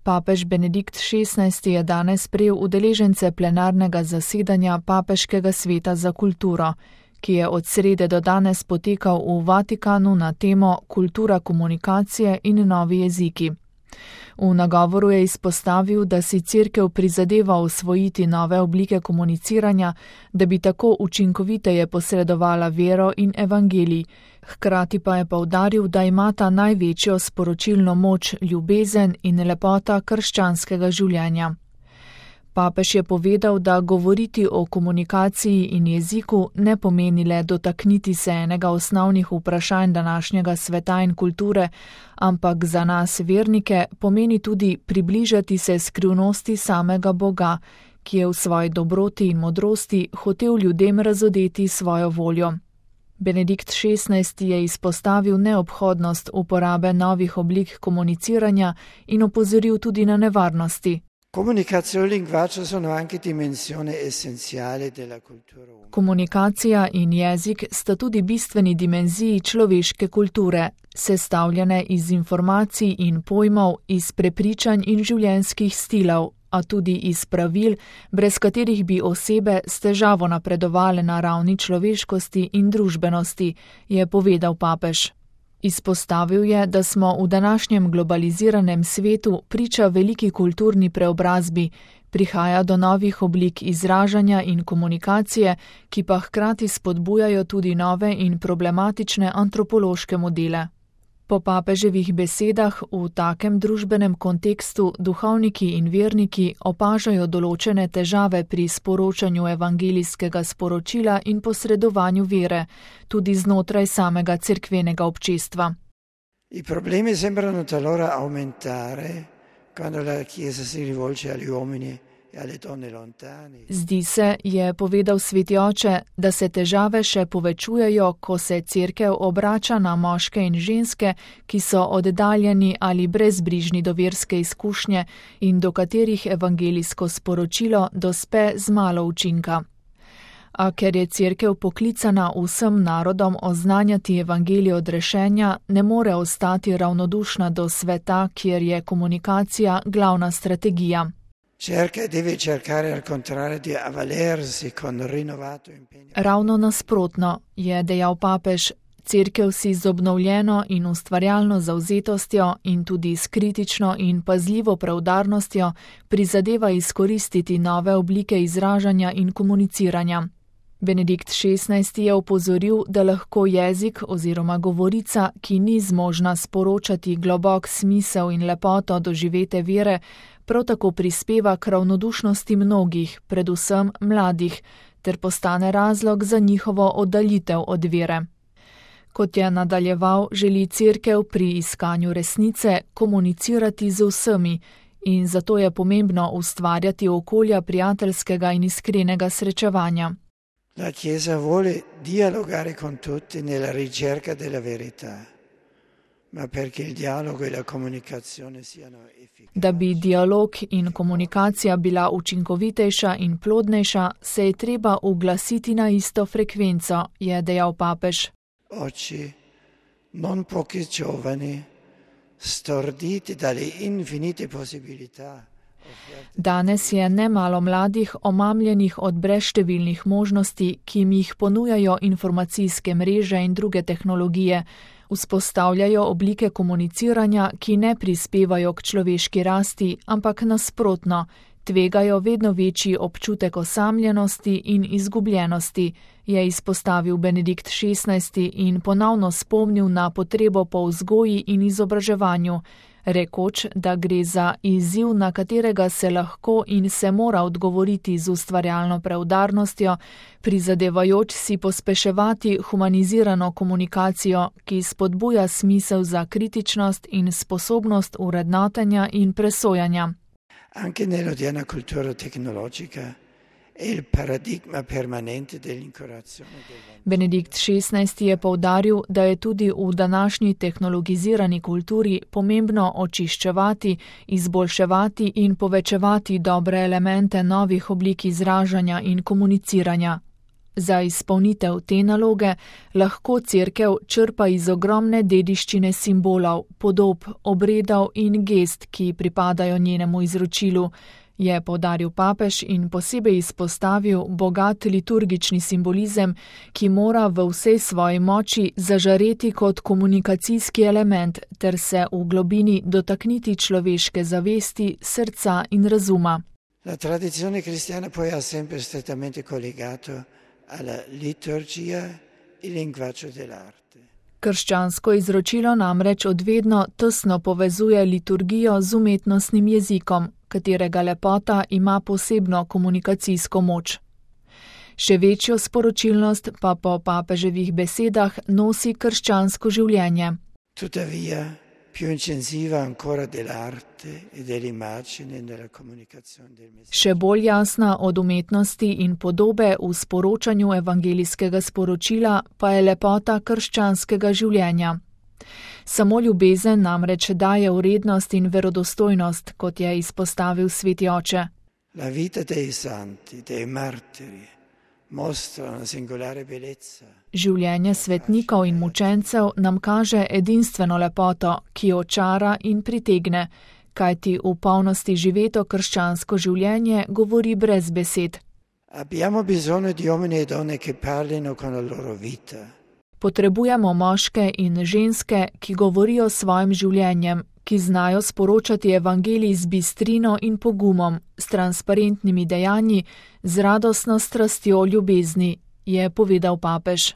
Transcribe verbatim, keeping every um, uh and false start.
Papež Benedikt šestnajsti je danes sprejel udeležence plenarnega zasedanja Papeškega sveta za kulturo, ki je od srede do danes potekal v Vatikanu na temo Kultura komunikacije in novi jeziki. V nagovoru je izpostavil, da si Cerkev prizadeva osvojiti nove oblike komuniciranja, da bi tako učinkoviteje posredovala vero in evangelij. Hkrati pa je poudaril, da imata največjo sporočilno moč ljubezen in lepota krščanskega življenja. Papež je povedal, da govoriti o komunikaciji in jeziku ne pomeni le dotakniti se enega osnovnih vprašanj današnjega sveta in kulture, ampak za nas vernike pomeni tudi približati se skrivnosti samega Boga, ki je v svoji dobroti in modrosti hotel ljudem razodeti svojo voljo. Benedikt šestnajsti je izpostavil neobhodnost uporabe novih oblik komuniciranja in opozoril tudi na nevarnosti. Komunikacija in jezik sta tudi bistveni dimenziji človeške kulture, sestavljene iz informacij in pojmov, iz prepričanj in življenjskih stilov, a tudi iz pravil, brez katerih bi osebe s težavo napredovale na ravni človeškosti in družbenosti, je povedal papež. Izpostavil je, da smo v današnjem globaliziranem svetu priča veliki kulturni preobrazbi, prihaja do novih oblik izražanja in komunikacije, ki pa hkrati spodbujajo tudi nove in problematične antropološke modele. Po papeževih besedah v takem družbenem kontekstu duhovniki in verniki opažajo določene težave pri sporočanju evangelijskega sporočila in posredovanju vere, tudi znotraj samega cerkvenega občestva. I problemi sembrano talora aumentare quando la Chiesa si rivolge agli uomini. Zdi se, je povedal sveti oče, da se težave še povečujejo, ko se Cerkev obrača na moške in ženske, ki so oddaljeni ali brezbrižni do verske izkušnje in do katerih evangelijsko sporočilo dospe z malo učinka. A ker je Cerkev poklicana vsem narodom oznanjati evangelij odrešenja, ne more ostati ravnodušna do sveta, kjer je komunikacija glavna strategija. Cerca deve cercare al contrario di avvalersi con rinnovato impegno. Ravno nasprotno, je dejal papež, Cerkev si z obnovljeno in ustvarjalno zavzetostjo in tudi s kritično in pazljivo preudarnostjo prizadeva izkoristiti nove oblike izražanja in komuniciranja. Benedikt šestnajsti je opozoril, da lahko jezik oziroma govorica, ki ni zmožna sporočati globok smisel in lepoto doživete vere, prav tako prispeva k ravnodušnosti mnogih, predvsem mladih, ter postane razlog za njihovo oddaljitev od vere. Kot je nadaljeval, želi Cerkev pri iskanju resnice komunicirati z vsemi in zato je pomembno ustvarjati okolja prijateljskega in iskrenega srečevanja. La Chiesa vuole dialogare con tutti nella ricerca della verità. Ma perché il dialogo e la comunicazione siano efficaci. Da bi dialog in komunikacija bila učinkovitejša in plodnejša, se je treba uglasiti na isto frekvenco, je dejal papež. Oggi non pochi giovani, storditi dalle infinite possibilità. Danes je nemalo mladih omamljenih od brezštevilnih možnosti, ki jim jih ponujajo informacijske mreže in druge tehnologije, vzpostavljajo oblike komuniciranja, ki ne prispevajo k človeški rasti, ampak nasprotno, tvegajo vedno večji občutek osamljenosti in izgubljenosti, je izpostavil Benedikt šestnajsti in ponovno spomnil na potrebo po vzgoji in izobraževanju, rekoč, da gre za izziv, na katerega se lahko in se mora odgovoriti z ustvarjalno preudarnostjo, prizadevajoč si pospeševati humanizirano komunikacijo, ki spodbuja smisel za kritičnost in sposobnost urednotenja in presojanja. Anche nell'odierna cultura tecnologica è il paradigma permanente dell'incorazione del Benedikt šestnajsti je poudaril, da je tudi v današnji tehnologizirani kulturi pomembno očiščevati, izboljševati in povečevati dobre elemente novih oblik izražanja in komuniciranja. Za izpolnitev te naloge lahko cerkev črpa iz ogromne dediščine simbolov, podob, obredov in gest, ki pripadajo njenemu izročilu, je poudaril papež in posebej izpostavil bogat liturgični simbolizem, ki mora v vsej svoji moči zažareti kot komunikacijski element ter se v globini dotakniti človeške zavesti, srca in razuma. La tradizione cristiana poi ha sempre strettamente collegato alla liturgia il linguaggio dell'arte. Krščansko izročilo namreč odvedno tesno povezuje liturgijo z umetnostnim jezikom, katerega lepota ima posebno komunikacijsko moč. Še večjo sporočilnost pa po papeževih besedah nosi krščansko življenje. Tuttavia, più incisiva ancora dell'arte e dell'immagine nella comunicazione del messaggio. Še bolj jasna od umetnosti in podobe v sporočanju evangelijskega sporočila pa je lepota krščanskega življenja. Samo ljubezen namreč daje vrednost in verodostojnost, kot je izpostavil sveti oče. La vita dei santi, dei martiri, mostra una singolare bellezza. Življenje svetnikov in mučencev nam kaže edinstveno lepoto, ki očara in pritegne, kajti v polnosti živeto krščansko življenje govori brez besed. Abbiamo bisogno di uomini e donne che parlino con la loro vita. Potrebujemo moške in ženske, ki govorijo s svojim življenjem, ki znajo sporočati evangelij z bistrino in pogumom, s transparentnimi dejanji, z radostno strastjo ljubezni, je povedal papež.